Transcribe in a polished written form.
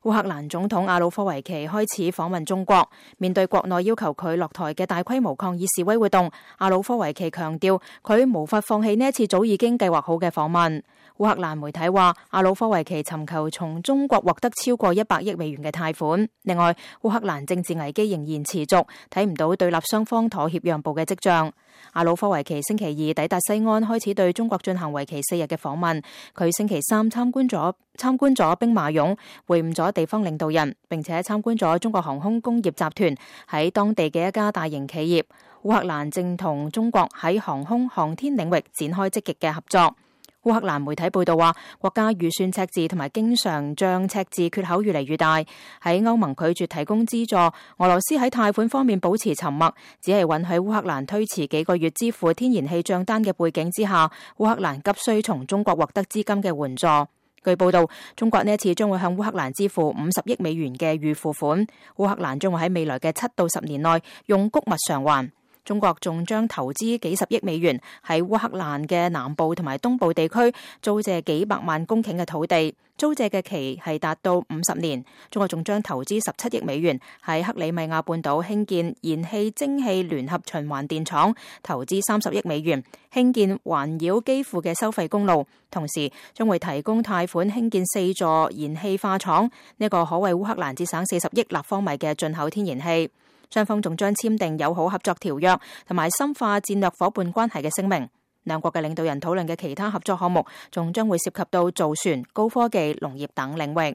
烏克蘭總統亞努科維奇開始訪問中國，面對國內要求佢落台嘅大規模抗議示威活動，亞努科維奇強調佢無法放棄呢一次早已經計劃好嘅訪問。烏克蘭媒體話，亞努科維奇尋求從中國獲得超過100億美元嘅貸款。另外，烏克蘭政治危機仍然持續，睇唔到對立雙方妥協讓步嘅跡象。亞努科維奇星期二抵達西安，開始對中國進行為期4日嘅訪問。佢星期三參觀咗兵馬俑，會晤咗地方領導人，並且參觀咗中國航空工業集團喺當地嘅一家大型企業。烏克蘭正同中國喺航空航天領域展開積極嘅合作。烏克蘭媒體報道話，國家預算赤字同埋經常賬赤字缺口越嚟越大。喺歐盟拒絕提供資助，俄羅斯喺貸款方面保持沉默，只係允許烏克蘭推遲幾個月支付天然氣賬單嘅背景之下，烏克蘭急需從中國獲得資金嘅援助。據報道，中國呢一次將會向烏克蘭支付50億美元嘅預付款，烏克蘭將會喺未來嘅7到10年內用穀物償還。中國仲將投資幾十億美元喺烏克蘭嘅南部同埋東部地區租借幾百萬公頃嘅土地，租借嘅期係達到50年。中國仲將投資17億美元喺克里米亞半島興建燃氣蒸汽聯合循環電廠，投資30億美元興建環繞基輔嘅收費公路，同時將會提供貸款興建4座燃氣化廠，呢個可為烏克蘭節省40億立方米嘅進口天然氣。雙方仲將簽訂友好合作條約同埋深化戰略夥伴關係嘅聲明。兩國嘅領導人討論嘅其他合作項目仲將會涉及到造船、高科技、農業等領域。